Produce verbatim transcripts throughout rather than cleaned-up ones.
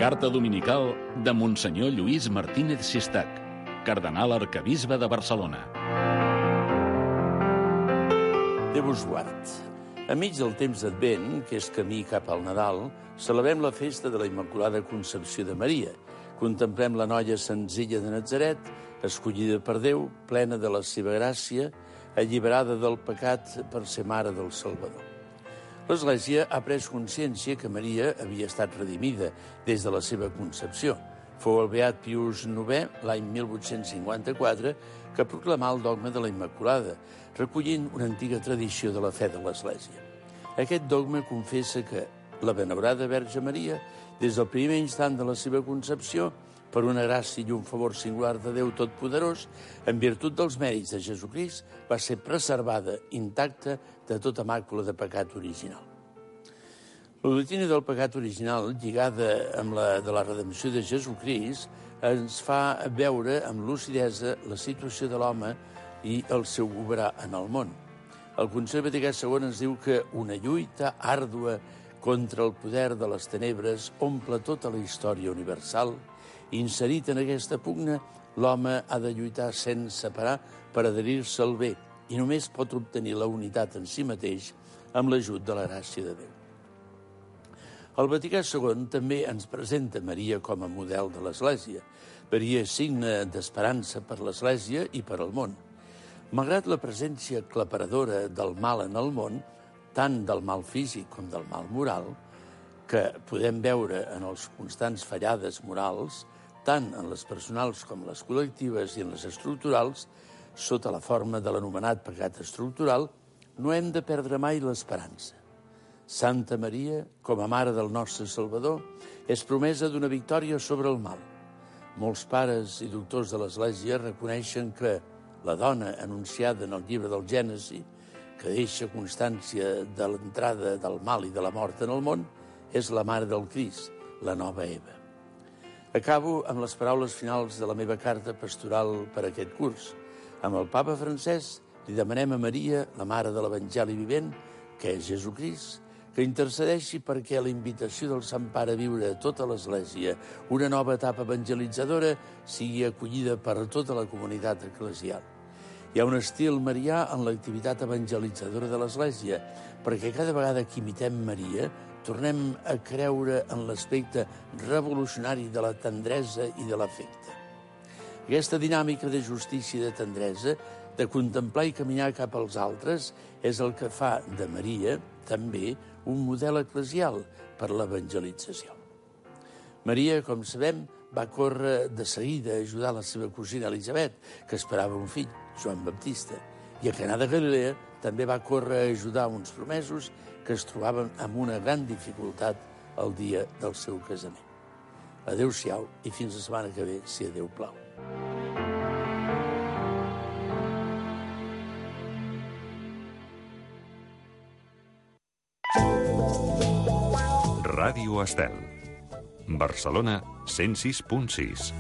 Carta dominical de Monsenyor Lluís Martínez Sistac, cardenal arquebisbe de Barcelona. Déu us guard. Enmig del temps d'Advent, que és camí cap al Nadal, celebrem la festa de la Immaculada Concepció de Maria. Contemplem la noia senzilla de Natzaret, escollida per Déu, plena de la seva gràcia, alliberada del pecat per ser mare del Salvador. L'Església ha pres consciència que Maria havia estat redimida des de la seva concepció. Fou el beat Pius novè, l'any mil vuit-cents cinquanta-quatre, que proclamà el dogma de la Immaculada, recollint una antiga tradició de la fe de l'Església. Aquest dogma confessa que la benaurada Verge Maria, des del primer instant de la seva concepció, per una gràcia i un favor singular de Déu Totpoderós, en virtut dels mèrits de Jesucrist, va ser preservada, intacta, de tota màcula de pecat original. La doctrina del pecat original, lligada amb la de la redempció de Jesucrist, ens fa veure amb lucidesa la situació de l'home i el seu obrar en el món. El Concili Vaticà segon ens diu que una lluita àrdua contra el poder de les tenebres omple tota la història universal. Inserit en aquesta pugna, l'home ha de lluitar sense parar per adherir-se al bé i només pot obtenir la unitat en si mateix amb l'ajut de la gràcia de Déu. El Vaticà segon també ens presenta Maria com a model de l'Església. Maria és signe d'esperança per l'Església i per al món. Malgrat la presència aclaparadora del mal en el món, tant del mal físic com del mal moral, que podem veure en els constants fallades morals, tant en les personals com les col·lectives i en les estructurals, sota la forma de l'anomenat pecat estructural, no hem de perdre mai l'esperança. Santa Maria, com a mare del nostre Salvador, és promesa d'una victòria sobre el mal. Molts pares i doctors de l'Església reconeixen que la dona anunciada en el llibre del Gènesi, que deixa constància de l'entrada del mal i de la mort en el món, és la mare del Crist, la nova Eva. Acabo amb les paraules finals de la meva carta pastoral per a aquest curs. Amb el papa Francesc li demanem a Maria, la mare de l'Evangeli vivent, que és Jesucrist, que intercedeixi perquè la invitació del Sant Pare a viure a tota l'Església una nova etapa evangelitzadora sigui acollida per tota la comunitat eclesial. Hi ha un estil marià en l'activitat evangelitzadora de l'Església, perquè cada vegada que imitem Maria tornem a creure en l'aspecte revolucionari de la tendresa i de l'afecte. Aquesta dinàmica de justícia i de tendresa, de contemplar i caminar cap als altres, és el que fa de Maria, també, un model eclesial per l'evangelització. Maria, com sabem, va córrer de seguida a ajudar la seva cosina Elisabet, que esperava un fill, Joan Baptista, i a Canà de Galilea també va córrer a ajudar uns promesos que es trobaven amb una gran dificultat el dia del seu casament. Adéu-siau i fins la setmana que ve, si a Déu plau. Ràdio Estel. Barcelona cent sis punt sis.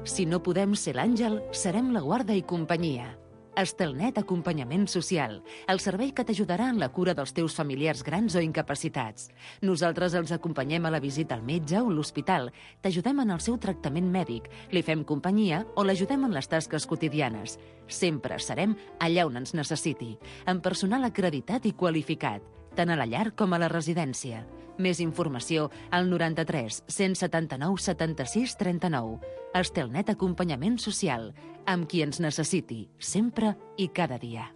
Si no podem ser l'àngel, serem la guarda i companyia. Estelnet Acompanyament Social, el servei que t'ajudarà en la cura dels teus familiars grans o incapacitats. Nosaltres els acompanyem a la visita al metge o l'hospital, t'ajudem en el seu tractament mèdic, li fem companyia o l'ajudem en les tasques quotidianes. Sempre serem allà on ens necessiti, amb personal acreditat i qualificat, tant a la llar com a la residència. Més informació al noranta-tres cent setanta-nou setanta-sis trenta-nou. Estelnet Acompanyament Social, amb qui ens necessiti, sempre i cada dia.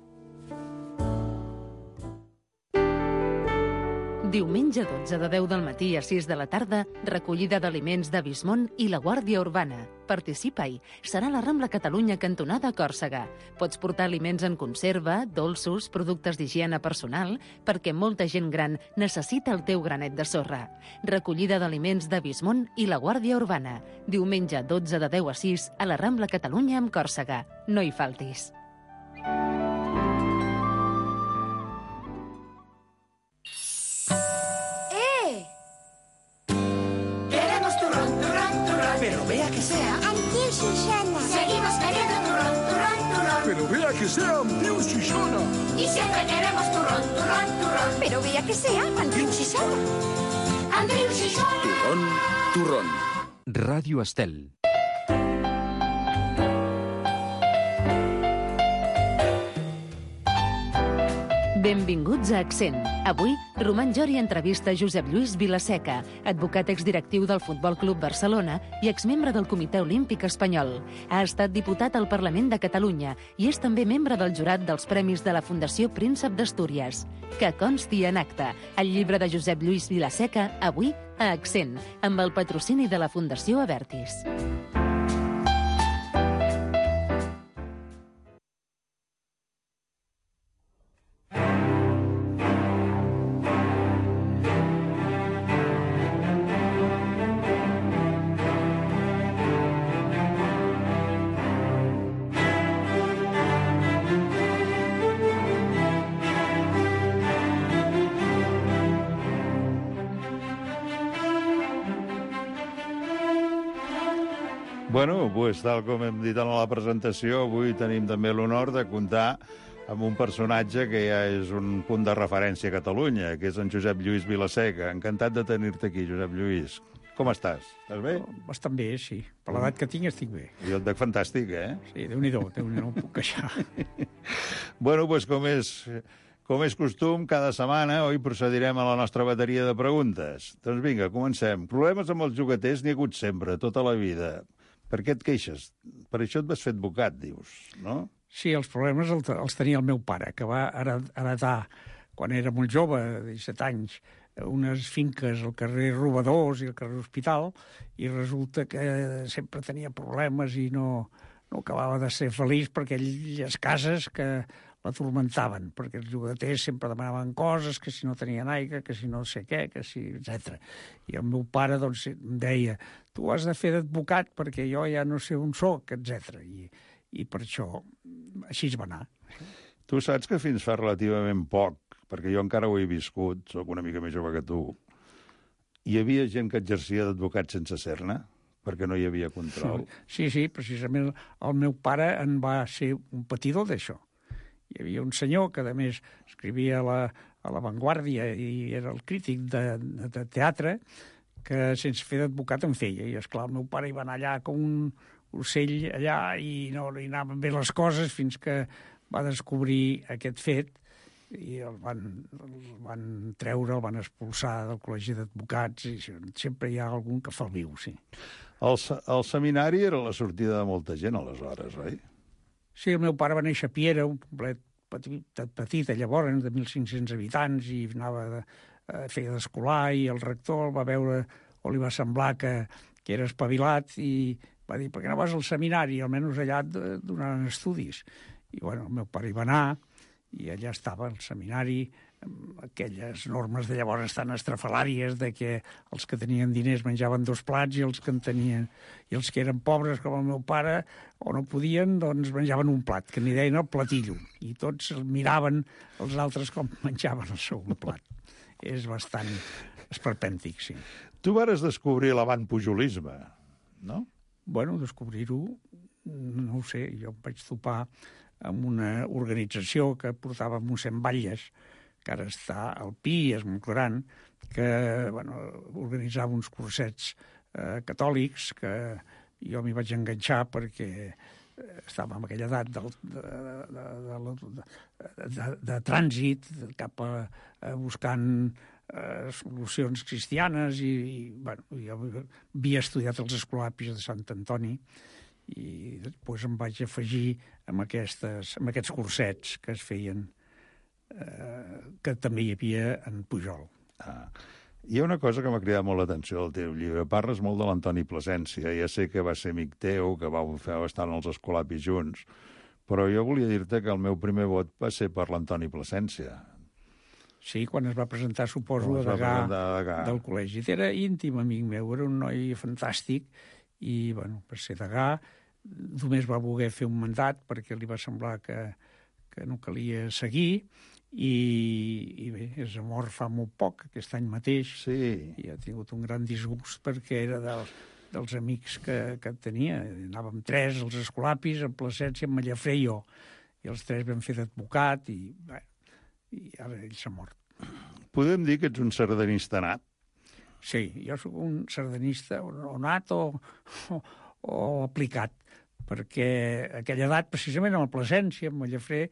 Diumenge dotze de deu del matí a sis de la tarda, recollida d'aliments de Bismont i la Guàrdia Urbana. Participa-hi. Serà la Rambla Catalunya cantonada Còrsega. Pots portar aliments en conserva, dolços, productes d'higiene personal, perquè molta gent gran necessita el teu granet de sorra. Recollida d'aliments de Bismont i la Guàrdia Urbana. Diumenge dotze de deu a sis a la Rambla Catalunya amb Còrsega. No hi faltis. Pero vea que que sea un Dios Shishona. Y siempre queremos turrón, turrón, turrón. Pero vea que sea Andreu Xixona. Andreu Xixona. Turrón, turrón. Ràdio Estel. Benvinguts a Accent. Avui, Roman Jori entrevista Josep Lluís Vilaseca, advocat exdirectiu del Futbol Club Barcelona i exmembre del Comitè Olímpic Espanyol. Ha estat diputat al Parlament de Catalunya i és també membre del jurat dels premis de la Fundació Príncep d'Astúries. Que consti en acte. El llibre de Josep Lluís Vilaseca, avui, a Accent, amb el patrocini de la Fundació Abertis. Bueno, pues, tal com hem dit en la presentació, avui tenim també l'honor de comptar amb un personatge que ja és un punt de referència a Catalunya, que és en Josep Lluís Vilaseca. Encantat de tenir-te aquí, Josep Lluís. Com estàs? Estàs bé? Bastant bé, sí. Per l'edat que tinc estic bé. Jo et veig fantàstic, eh? Sí, Déu-n'hi-do, Déu-n'hi-do, no em puc queixar. Bueno, doncs com és, com és costum, cada setmana oi procedirem a la nostra bateria de preguntes. Doncs vinga, comencem. Problemes amb els jugaters n'hi ha hagut sempre, tota la vida. Per què et queixes? Per això et vas fer advocat, dius, no? Sí, els problemes els tenia el meu pare, que va heretar, quan era molt jove, de disset anys, unes finques al carrer Robadors i al carrer Hospital, i resulta que sempre tenia problemes i no, no acabava de ser feliç per aquelles cases que l'atormentaven, perquè els jugaters sempre demanaven coses, que si no tenien aigua, que si no sé què, que si, etcètera. I el meu pare doncs, em deia, tu has de fer d'advocat perquè jo ja no sé on soc, etcètera. I, I per això així es va anar. Tu saps que fins fa relativament poc, perquè jo encara ho he viscut, sóc una mica més jove que tu, hi havia gent que exercia d'advocat sense ser-ne, perquè no hi havia control. Sí, sí, precisament el meu pare en va ser un patidor d'això. Hi havia un senyor que, a més, escrivia a la, a la Vanguardia i era el crític de, de, de teatre, que sense fer d'advocat en feia. I, esclar, el meu pare hi va anar allà com un ocell allà i no li anaven bé les coses fins que va descobrir aquest fet i el van, el van treure, el van expulsar del col·legi d'advocats i sempre hi ha algun que fa el viu, sí. El, el seminari era la sortida de molta gent, aleshores, oi? Sí, el meu pare va néixer a Piera, un poblet petit, petit llavors, de mil cinc-cents habitants, i anava de, feia d'escolar, i el rector el va veure, o li va semblar que, que era espavilat, i va dir, per què no vas al seminari? Almenys allà donaran estudis. I, bueno, el meu pare hi va anar, i allà estava el seminari, amb aquelles normes de llavors tan estrafalàries de que els que tenien diners menjaven dos plats i els que en tenien i els que eren pobres com el meu pare o no podien, doncs menjaven un plat, que n'hi deien el platillo, i tots miraven els altres com menjaven el seu plat. És bastant esperpèntic, sí. Tu vares descobrir l'avantpujolisme, no? Bueno, descobrir-ho, no ho sé, jo em vaig topar amb una organització que portava mossèn Batlles, que ara està al Pi, és molt gran, que bueno, organitzava uns cursets eh, catòlics que jo m'hi vaig enganxar perquè estava en aquella edat de, de, de, de, de, de, de trànsit cap a, a buscant eh, solucions cristianes i, i bueno, jo havia estudiat els escolapis de Sant Antoni i després em vaig afegir amb, aquestes, amb aquests cursets que es feien Eh, que també hi havia en Pujol. Ah. Hi ha una cosa que m'ha cridat molt l'atenció del teu llibre. Parles molt de l'Antoni Plasència. Ja sé que va ser amic teu, que vau fer bastant els escolapis junts, però jo volia dir-te que el meu primer vot va ser per l'Antoni Plasència. Sí, quan es va presentar, suposo, a degà del col·legi. Era íntim amic meu, era un noi fantàstic i, bueno, per ser degà, només va voler fer un mandat perquè li va semblar que, que no calia seguir. I, i bé, és mort fa molt poc, aquest any mateix, sí. I ha tingut un gran disgust perquè era dels, dels amics que, que tenia. Anàvem tres, els escolapis, en Plasència, en Mallafré i jo. i els tres vam fer d'advocat, i, bé, i ara ell s'ha mort. Podem dir que ets un sardanista nat? Sí, jo sóc un sardanista o nat o, o, o aplicat, perquè a aquella edat, precisament a la Plasència, a Mallafré,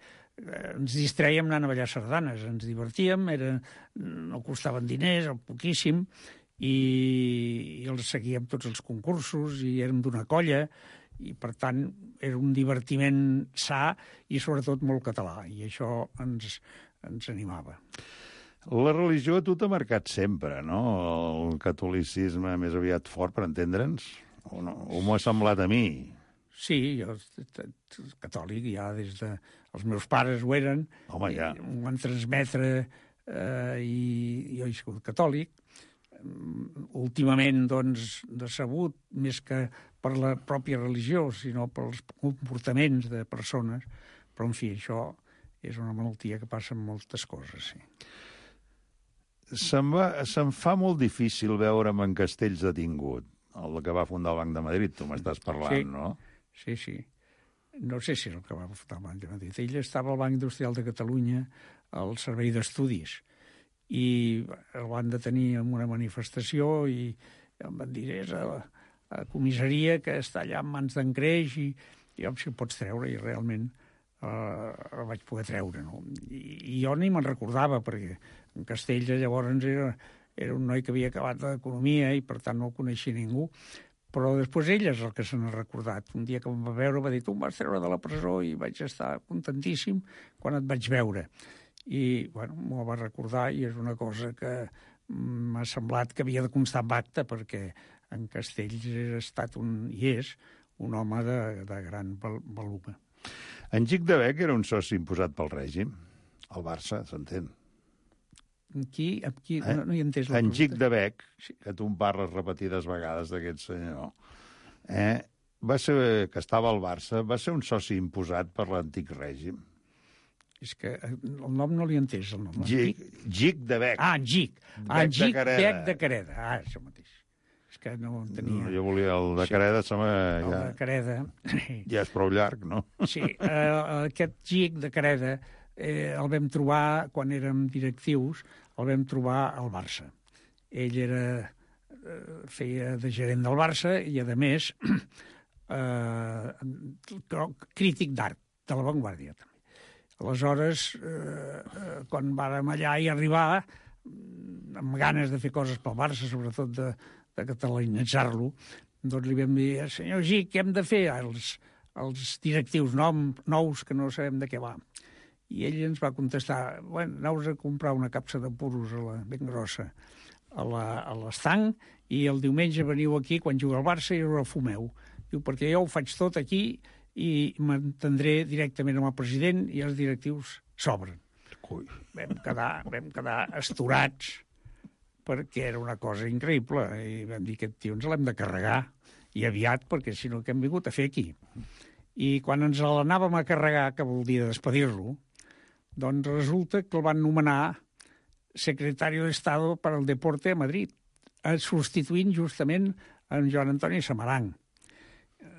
eh, ens distrèiem anant a ballar sardanes, ens divertíem, era, no costaven diners, poquíssim, i, i els seguíem tots els concursos, i érem d'una colla, i per tant era un divertiment sa i sobretot molt català, i això ens, ens animava. La religió a tu t'ha marcat sempre, no? El catolicisme més aviat fort, per entendre'ns? O, no? O m'ho ha semblat a mi? Sí, jo catòlic ja des de... Els meus pares ho eren. Home, ja. Ho van transmetre eh, i jo he sigut catòlic. Últimament, doncs, decebut, més que per la pròpia religió, sinó pels comportaments de persones. Però, en fi, això és una malaltia que passa amb moltes coses, sí. Se'm, va, se'm fa molt difícil veure'm en Castells detingut, el que va fundar el Banc de Madrid, tu m'estàs parlant, sí, no? Sí, sí. No sé si és el que va fundar el Banc de Madrid. Ell estava al Banc Industrial de Catalunya, al Servei d'Estudis, i el van detenir en una manifestació i em van dir, és a la, a la comissaria que està allà en mans d'en Creix i, i home, si el pots treure, i realment eh, el vaig poder treure, no? I, i jo ni me'n recordava, perquè en Castells llavors era, era un noi que havia acabat d'economia i per tant no el coneixia ningú, però després ell és el que se n'ha recordat. Un dia que em va veure va dir, tu em vas treure de la presó, i vaig estar contentíssim quan et vaig veure. I, bueno, m'ho va recordar i és una cosa que m'ha semblat que havia de constar en acte, perquè en Castells ha estat un, i és un home de, de gran volume. En Gic de Bec era un soci imposat pel règim. El Barça, s'entén. Qui, qui, eh? no, no hi he entès la en pregunta. Gic de Bec, que tu em parles repetides vegades d'aquest senyor, eh? va ser, que estava al Barça, va ser un soci imposat per l'antic règim. És que el nom no l'he entès, el nom. Gic, Gic de Bec. Ah, Gic. Ah, Bec Gic de Careda. Bec de Careda. Ah, això mateix. És que no en tenia. Jo volia el de Careda, sí. Sembla, el ja, de Careda. ja és prou llarg, no? Sí, eh, aquest Gic de Careda eh, el vam trobar, quan érem directius, el vam trobar al Barça. Ell era, eh, feia de gerent del Barça i, a més, eh, crític d'art, de l'avantguàrdia, també. Aleshores, eh, quan vàrem allà i arribar, amb ganes de fer coses pel Barça, sobretot de, de catalanitzar-lo, doncs li vam dir, senyor Gic, què hem de fer? Els, els directius nom, nous que no sabem de què va. I ell ens va contestar, bueno, aneu a comprar una capsa de puros a la, ben grossa a l'estanc i el diumenge veniu aquí quan juga al Barça i us el fumeu. Diu, perquè jo ho faig tot aquí i m'entendré directament amb el president i els directius s'obren. Vam quedar, vam quedar esturats perquè era una cosa increïble i vam dir que aquest tio ens l'hem de carregar i aviat, perquè si no què hem vingut a fer aquí. I quan ens l'anàvem a carregar, que vol dir despedir-lo, doncs resulta que el van nomenar secretari d'Estado per al Deporte a Madrid, substituint justament en Joan Antoni Samaranch.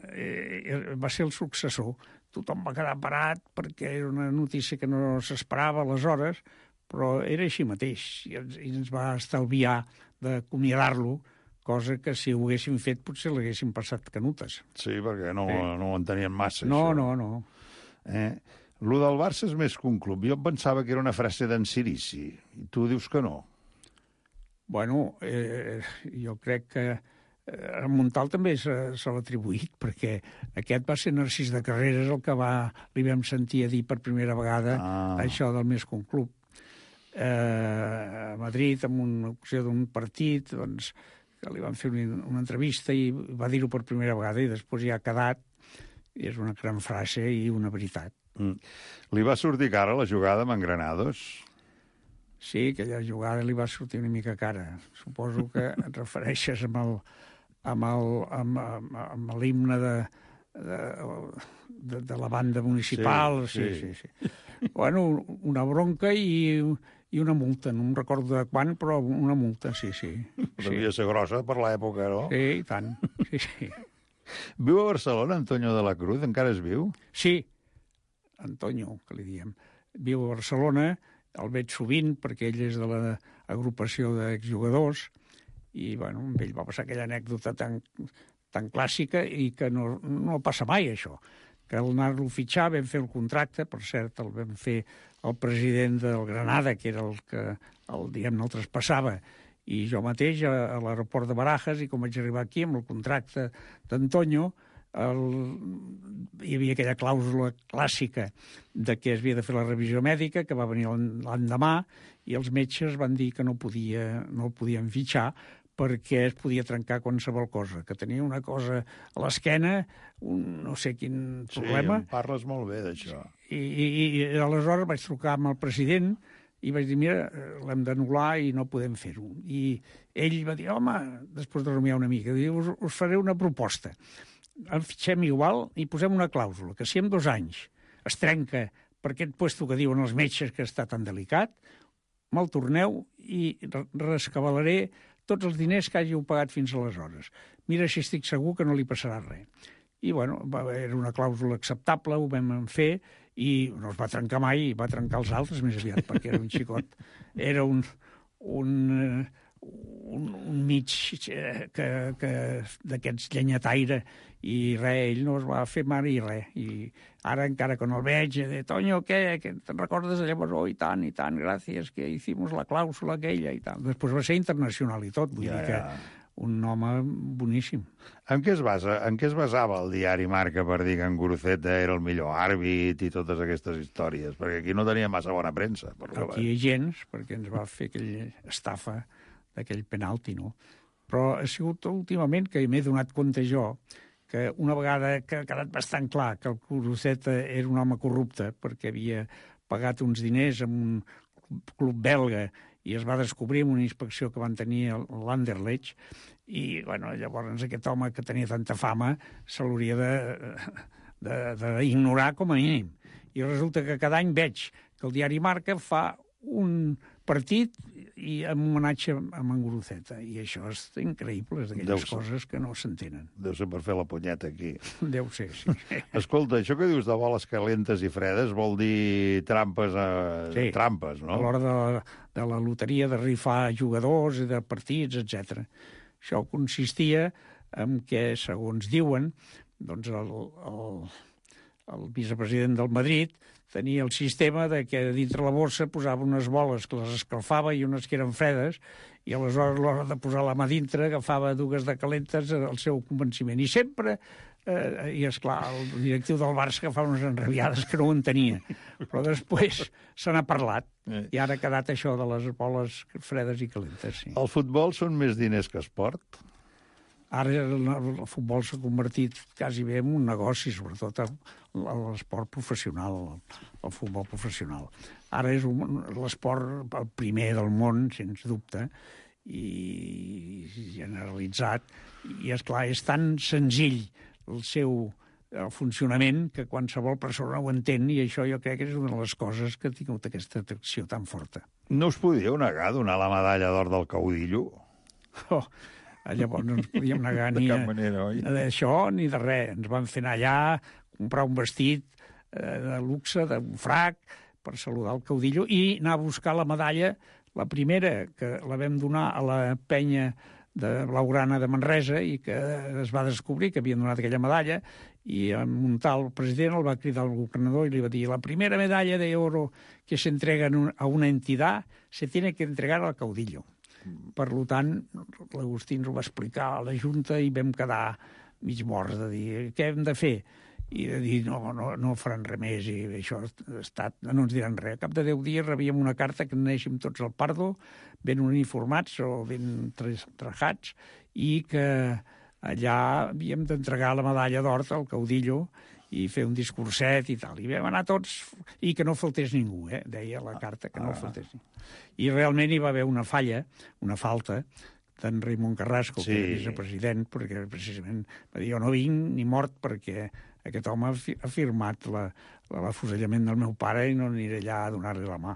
Eh, va ser el successor. Tothom va quedar parat perquè era una notícia que no s'esperava aleshores, però era així mateix i ens, i ens va estalviar d'acomiadar-lo, cosa que si ho haguéssim fet potser l'haguéssim passat canutes. Sí, perquè no, eh. no ho entenien massa, no, això. No, no, no. Eh? Lo del Barça és més que un club. Jo pensava que era una frase d'en Sirici, i tu dius que no. Bueno, eh, jo crec que a Montal també se, se l'ha atribuït, perquè aquest va ser Narcís de Carreras el que va, li vam sentir a dir per primera vegada ah. això del més que un club. Eh, a Madrid, en una ocasió d'un partit, doncs, que li van fer una, una entrevista i va dir-ho per primera vegada i després ja ha quedat, i és una gran frase i una veritat. Mm. Li va sortir cara la jugada amb en Granados? Sí, aquella jugada li va sortir una mica cara. Suposo que et refereixes amb el amb amb l'himne de, de, de, de la banda municipal. Sí, sí, sí. sí, sí. Bueno, una bronca i, i una multa. No em recordo de quan, però una multa, sí, sí. Devia ser grossa per l'època, no? Sí, i tant. Sí, sí. Viu a Barcelona, Antonio de la Cruz? Encara es viu? Sí. Antonio, que li diem, viu a Barcelona, el veig sovint perquè ell és de l'agrupació d'exjugadors i, bueno, amb ell va passar aquella anècdota tan, tan clàssica i que no, no passa mai, això. Que al anar-lo a fitxar vam fer el contracte, per cert, el vam fer el president del Granada, que era el que, el, diguem-ne, el traspassava, i jo mateix a, a l'aeroport de Barajas, i com vaig arribar aquí amb el contracte d'Antonio, el... hi havia aquella clàusula clàssica de que es havia de fer la revisió mèdica, que va venir l'endemà, i els metges van dir que no, podia, no el podien fitxar perquè es podia trencar qualsevol cosa, que tenia una cosa a l'esquena, un no sé quin problema. Sí, em parles molt bé d'això. I, i, I aleshores vaig trucar amb el president i vaig dir, mira, l'hem d'anul·lar i no podem fer-ho. I ell va dir, home, després de rumiar una mica, diu, us, us faré una proposta. El fitxem igual i posem una clàusula, que si en dos anys es trenca per aquest puesto que diuen els metges que està tan delicat, me'l torneu i rescabalaré tots els diners que hàgiu pagat fins aleshores. Mira si estic segur que no li passarà res. I, bueno, va, era una clàusula acceptable, ho vam fer, i no es va trencar mai, i va trencar els altres més aviat, perquè era un xicot. Era un, un, un, un mig que, que d'aquests llenyataire, i res, ell no es va fer mare i res. I ara encara que no el veig, de Toño, què? Que te'n recordes de llavors? Oh, i tant, i tant, gràcies, que hicimos la clàusula aquella i tal. Després va ser internacional i tot, vull ja, dir que ja. Un home boníssim. En què es basa, en què es basava el diari Marca per dir que en Guruceta era el millor àrbit i totes aquestes històries? Perquè aquí no tenia massa bona premsa. Per aquí gens, perquè ens va fer aquella estafa d'aquell penalti, no? Però ha sigut últimament que m'he donat compte jo que una vegada que ha quedat bastant clar que el Guruceta era un home corrupte perquè havia pagat uns diners en un club belga i es va descobrir en una inspecció que van tenir a l'Anderlecht, i bueno, llavors aquest home que tenia tanta fama se l'hauria d'ignorar com a mínim. I resulta que cada any veig que el diari Marca fa un partit i en homenatge a en Guruceta, i això és increïble, és d'aquelles coses que no s'entenen. Deu ser per fer la punyeta aquí. Deu ser, sí. Escolta, això que dius de boles calentes i fredes vol dir trampes, a... sí, trampes, no? A l'hora de, la, de la loteria, de rifar jugadors, de partits, etcètera. Això consistia en que, segons diuen, doncs el, el, el vicepresident del Madrid tenia el sistema de que dintre la borsa posava unes boles que les escalfava i unes que eren fredes, i aleshores a l'hora de posar la mà dintre agafava dues de calentes al seu convenciment. I sempre, eh, i esclar, el directiu del Barça agafava unes enrabiades que no ho entenia. Però després se n'ha parlat, i ara ha quedat això de les boles fredes i calentes. Sí. El futbol són més diners que esport? Ara el futbol s'ha convertit quasi bé en un negoci, sobretot l'esport professional, el futbol professional. Ara és l'esport el primer del món, sens dubte, i generalitzat. I, esclar, és tan senzill el seu el funcionament que qualsevol persona ho entén, i això jo crec que és una de les coses que ha tingut aquesta atracció tan forta. No us podíeu negar a donar la medalla d'or del caudillo? Oh, llavors no ens podíem negar ni d'això ni de res. Ens van fer anar allà, comprar un vestit eh, de luxe, d'un frac, per saludar el caudillo, i anar a buscar la medalla, la primera, que la vam donar a la penya de Blaugrana de Manresa, i que es va descobrir que havien donat aquella medalla, i en un tal president el va cridar al governador i li va dir: la primera medalla de oro que se entrega a una entitat se tiene que entregar al caudillo. Per tant, l'Agustí ens ho va explicar a la Junta i vam quedar mig morts de dir què hem de fer, i de dir no, no, no faran res més, i això ha estat, no ens diran res. A cap de deu dies rebíem una carta que anéssim tots al Pardo, ben uniformats o ben trajats, i que allà havíem d'entregar la medalla d'or al caudillo i fer un discurset i tal. I vam anar tots, i que no faltés ningú, eh? Deia la carta que no ah. faltés ningú. I realment hi va haver una falla, una falta, d'en Raimon Carrasco, sí, que era vicepresident, perquè precisament va dir: jo no vinc ni mort perquè aquest home ha firmat l'afusellament del meu pare i no aniré allà a donar-li la mà.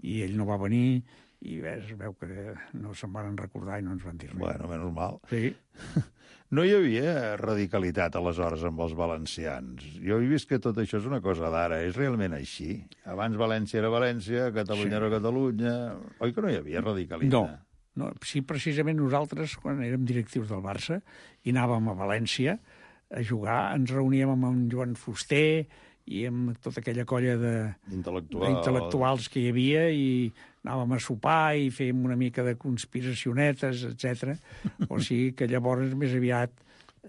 I ell no va venir, i bé, es veu que no se'n van recordar i no ens van dir res. Bueno, menys mal. Sí. No hi havia radicalitat aleshores amb els valencians. Jo he vist que tot això és una cosa d'ara. És realment així? Abans València era València, Catalunya sí. era Catalunya... Oi que no hi havia radicalitat? No. No, sí, precisament nosaltres, quan érem directius del Barça i anàvem a València a jugar, ens reuníem amb en Joan Fuster i amb tota aquella colla d'intel·lectuals que hi havia i anàvem a sopar i fèiem una mica de conspiracionetes, etcètera. O sigui que llavors més aviat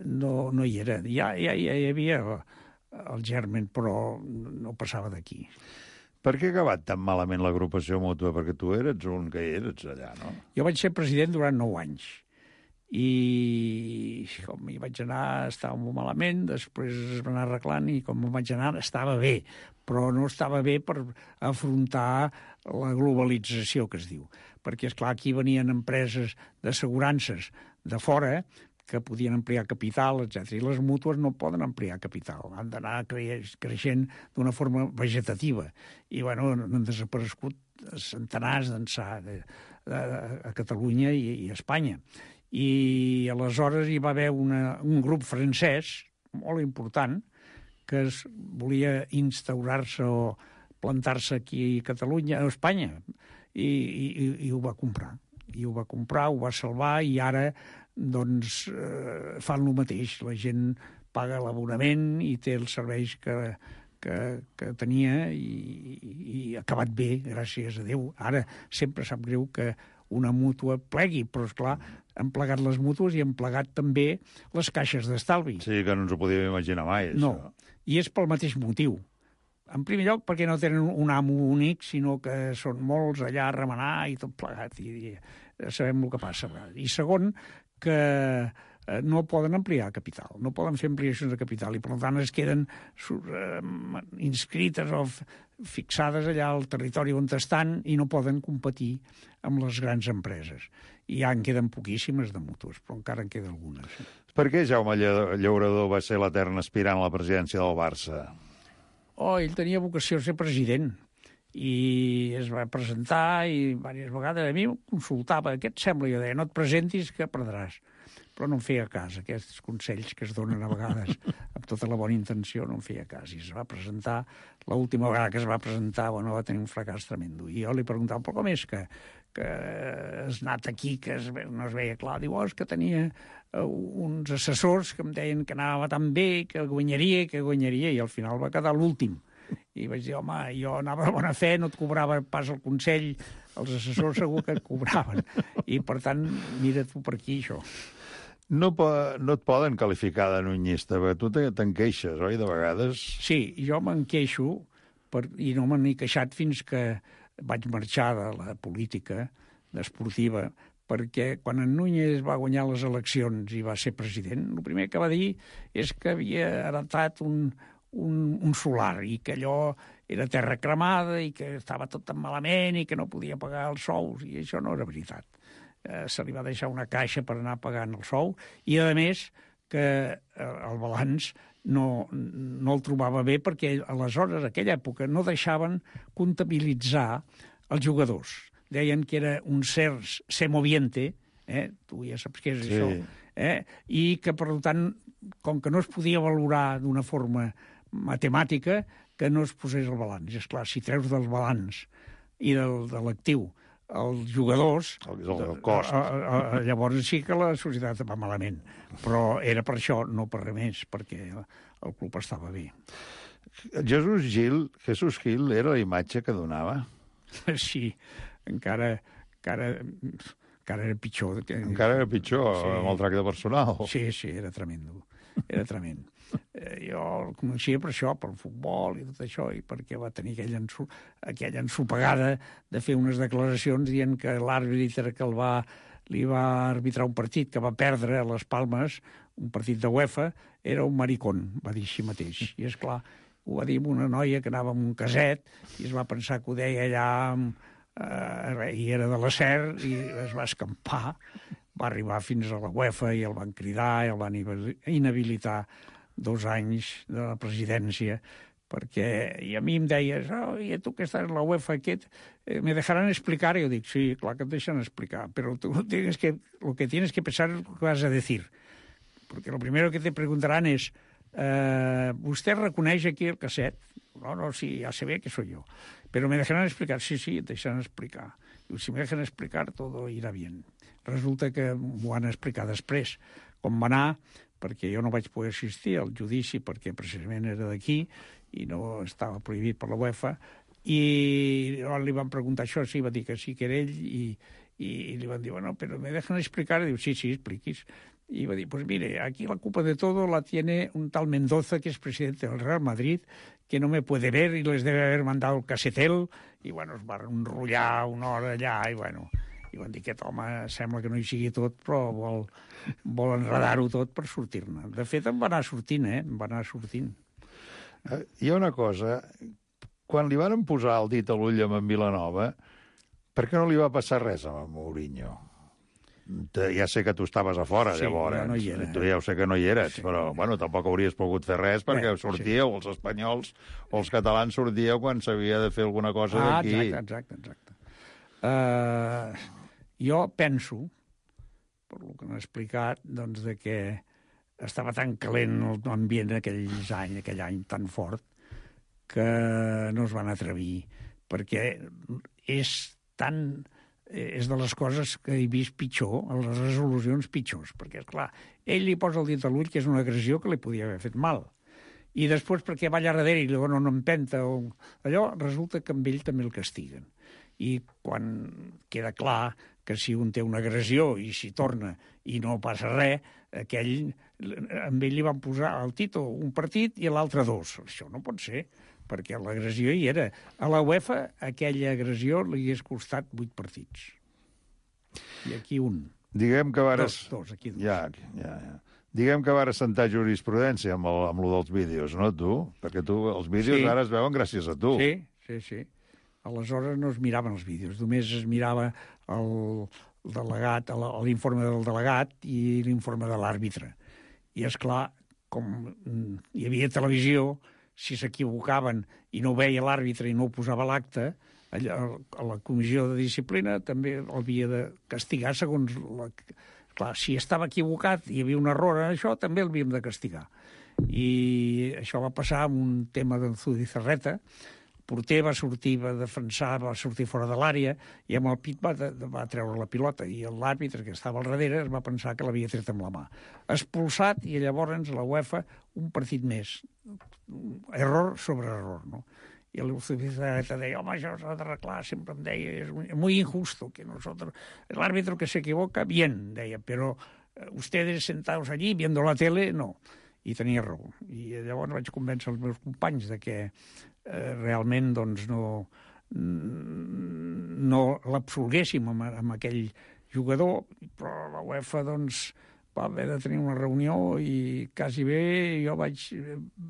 no, no hi era. Ja, ja, ja hi havia el germen, però no passava d'aquí. Per què ha acabat tan malament l'agrupació mútua? Perquè tu eres un que eres allà, no? Jo vaig ser president durant nou anys. I com hi vaig anar estava molt malament, després es va anar arreglant i com vaig anar estava bé, però no estava bé per afrontar la globalització que es diu. Perquè, esclar, aquí venien empreses d'assegurances de fora que podien ampliar capital, etcètera. I les mútues no poden ampliar capital, han d'anar creixent d'una forma vegetativa. I, bueno, han desaparegut centenars d'ençà a Catalunya i, i a Espanya. I aleshores hi va haver una, un grup francès molt important que es volia instaurar-se o plantar-se aquí a Catalunya, a Espanya, i, i, i ho va comprar. I ho va comprar, ho va salvar, i ara doncs eh, fan el mateix. La gent paga l'abonament i té els serveis que, que, que tenia i, i ha acabat bé, gràcies a Déu. Ara sempre sap greu que una mútua plegui, però, esclar, han plegat les mútues i han plegat també les caixes d'estalvi. Sí, que no ens ho podíem imaginar mai, això. No, i és pel mateix motiu. En primer lloc, perquè no tenen un amo únic, sinó que són molts allà a remenar i tot plegat, i, i sabem el que passa. I segon, que no poden ampliar capital, no poden fer ampliacions de capital, i per tant es queden uh, inscrites o fixades allà al territori on estan i no poden competir amb les grans empreses. I ja en queden poquíssimes de mútues, però encara en queden algunes. Per què Jaume Llaurador va ser l'etern aspirant a la presidència del Barça? Oh, ell tenia vocació a ser president i es va presentar i diverses vegades a mi em consultava, què et sembla? Jo deia, no et presentis que perdràs. Però no em feia cas, aquests consells que es donen a vegades amb tota la bona intenció, no em feia cas. I es va presentar, l'última vegada que es va presentar, bueno, va tenir un fracàs tremendo. I jo li preguntava, però com és que, que has anat aquí, que es, no es veia clar? Diu, oh, és que tenia uh, uns assessors que em deien que anava tan bé, que guanyaria, que guanyaria, i al final va quedar l'últim. I vaig dir, home, jo anava de bona fe, no et cobrava pas el consell, els assessors segur que et cobraven. I, per tant, mira tu per aquí, això. No, no et poden qualificar de nunyista, perquè tu te'n queixes, oi, de vegades? Sí, jo me'n queixo, per, i no me n'he queixat fins que vaig marxar de la política esportiva, perquè quan en Núñez va guanyar les eleccions i va ser president, el primer que va dir és que havia heretat un, un, un solar i que allò era terra cremada i que estava tot tan malament i que no podia pagar els sous, i això no era veritat. Eh, se li va deixar una caixa per anar pagant el sou i, a més, que el balanç no, no el trobava bé perquè aleshores, a aquella època, no deixaven comptabilitzar els jugadors. Deien que era un cert semoviente, eh? Tu ja saps què és sí. això, eh? I que, per tant, com que no es podia valorar d'una forma matemàtica, que no es posés el balanç. És clar, si treus del balanç i del, de l'actiu els jugadors, el, el cost. A, a, a, llavors sí que la societat va malament, però era per això, no per res més, perquè el club estava bé. Jesús Gil, Jesús Gil era la imatge que donava? Sí, encara, encara, encara era pitjor. Que... Encara era pitjor, sí. Amb el tracte personal. Sí, sí, era tremendo, era tremendo. Eh, jo el coneixia per això, pel futbol i tot això, i perquè va tenir aquella, ensu, aquella ensopegada de fer unes declaracions dient que l'àrbitre que el va, li va arbitrar un partit que va perdre a les Palmes, un partit de UEFA, era un maricón, va dir així mateix. I és clar, ho va dir amb una noia que anava amb un caset i es va pensar que ho deia allà eh, i era de la S E R i es va escampar. Va arribar fins a la UEFA i el van cridar i el van inhabilitar dos anys de la presidència, perquè i a mi em deies, oh, i tu que estàs en la UEFA, aquest, eh, ¿me dejarán explicar? I jo dic, sí, clar que et deixen explicar, però tu tienes que, lo que tienes que pensar es lo que vas a decir, porque lo primero que te preguntarán es, eh, ¿usted reconeix aquí el casset? No, no, sí, ya se ve que soy yo. Pero me dejarán explicar, sí, sí, te dejarán explicar. I si me dejan explicar, todo irá bien. Resulta que m'ho han explicat després, com va anar, perquè jo no vaig poder assistir al judici perquè precisament era d'aquí i no estava prohibit per la UEFA, i li van preguntar això, sí, va dir que sí que era ell, i, i li van dir, bueno, però me dejan explicar, i diu, sí, sí, expliquis. Y va a decir, pues mire, aquí la culpa de todo la tiene un tal Mendoza, que es presidente del Real Madrid, que no me puede ver y les debe haber mandado el casetel, i bueno, es va enrotllar una hora allà, i bueno, i van dir que aquest home sembla que no hi sigui tot, però vol, vol enredar-ho tot per sortir-ne. De fet, em va anar sortint, eh? Em va anar sortint. Eh, hi ha una cosa, quan li van posar el dit a l'ull amb en Vilanova, per què no li va passar res a Mourinho? Ja sé que tu estaves a fora, sí, llavors. No hi era. Tu ja ho sé que no hi eres, sí. Però bueno, tampoc hauries pogut fer res perquè Bé, sortíeu, sí. Els espanyols o els catalans sortíeu quan s'havia de fer alguna cosa ah, d'aquí. Ah, exacte, exacte. exacte. Uh, jo penso, per lo que m'ha explicat, doncs, de que estava tan calent l'ambient aquells anys, aquell any tan fort, que no es van atrevir, perquè és tan... és de les coses que he vist pitjor, les resolucions pitjors, perquè, esclar, ell li posa el dit a l'ull que és una agressió que li podia haver fet mal. I després, perquè va allà darrere i li dona una empenta, o allò, resulta que amb ell també el castiguen. I quan queda clar que si un té una agressió i s'hi torna i no passa res, aquell, amb ell li van posar al Tito un partit i a l'altre dos. Això no pot ser, perquè l'agressió hi era. A la UEFA, aquella agressió li hagués costat vuit partits. I aquí un. Diguem que vares... Dos, dos, aquí dos. Ja, ja, ja. Diguem que vares sentar jurisprudència amb, el, amb lo dels vídeos, no, tu? Perquè tu, els vídeos sí. Ara es veuen gràcies a tu. Sí, sí, sí. Aleshores no es miraven els vídeos, només es mirava el delegat, l'informe del delegat i l'informe de l'àrbitre. I, és clar, com hi havia televisió, si s'equivocaven i no veia l'àrbitre i no ho posava a l'acte, a la comissió de disciplina també l'havia de castigar segons... La... Clar, si estava equivocat i hi havia un error en això, també l'havíem de castigar. I això va passar amb un tema d'en Zubizarreta. El porter va sortir, va defensar, va sortir fora de l'àrea i amb el pit va, de, va treure la pilota i l'àrbitre que estava al darrere es va pensar que l'havia tret amb la mà. Expulsat i llavors la UEFA un partit més. Error sobre error, no? Y el Zubizarreta deia, home, això s'ha d'arreglar, sempre em deia, és muy injusto que nosotros, el árbitro que se equivoca, bien, deia, però ustedes sentados allí viendo la tele, no. I tenia raó. I llavors vaig convèncer els meus companys de que eh, realment doncs, no, no l'absolguéssim amb, amb aquell jugador, però la UEFA doncs, va haver de tenir una reunió i quasi bé jo vaig...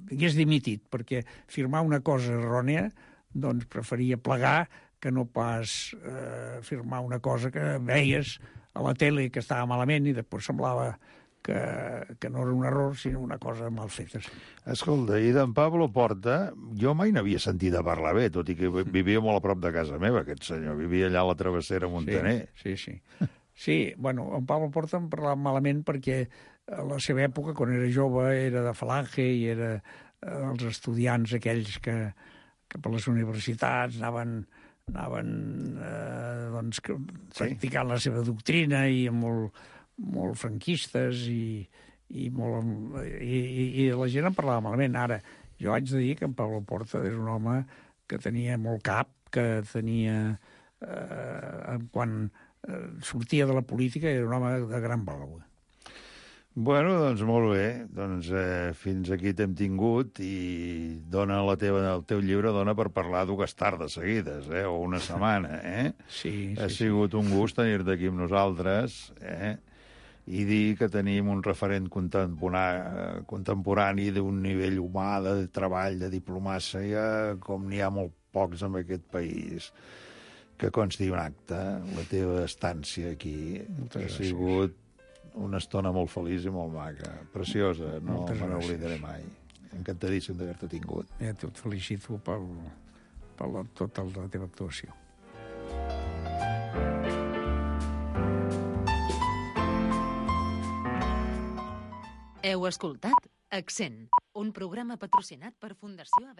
hagués dimitit, perquè firmar una cosa errònia doncs preferia plegar que no pas eh, firmar una cosa que veies a la tele que estava malament i després semblava que, que no era un error, sinó una cosa mal feta. Sí. Escolta, i d'en Pablo Porta, jo mai n'havia sentit a parlar bé, tot i que vivia molt a prop de casa meva, aquest senyor. Vivia allà a la travessera Montaner. Sí, sí, sí. Sí, bueno, en Pablo Porta em parlava malament perquè a la seva època, quan era jove, era de Falange i era els estudiants aquells que, que per les universitats anaven, anaven eh, doncs, practicant sí. La seva doctrina i molt, molt franquistes i, i, molt, i, i, i la gent em parlava malament. Ara, jo haig de dir que en Pablo Porta és un home que tenia molt cap, que tenia... Eh, quan sortia de la política era un home de gran valor. Bueno, doncs molt bé. Doncs eh, fins aquí t'hem tingut i dona la teva, el teu llibre dona per parlar dues tardes seguides, eh? O una setmana, eh? Sí, sí. Ha sigut sí. Un gust tenir-te aquí amb nosaltres, eh? I dir que tenim un referent contemporani, contemporani d'un nivell humà, de treball, de diplomàcia, com n'hi ha molt pocs en aquest país. Que consti un acte, la teva estància aquí. Ha sigut una estona molt feliç i molt maca. Preciosa, no me n'oblidaré mai. encantadíssim d'haver-te tingut. Eh, et felicito per, per la, tota la teva actuació. Heu escoltat Accent, un programa patrocinat per Fundació Haver.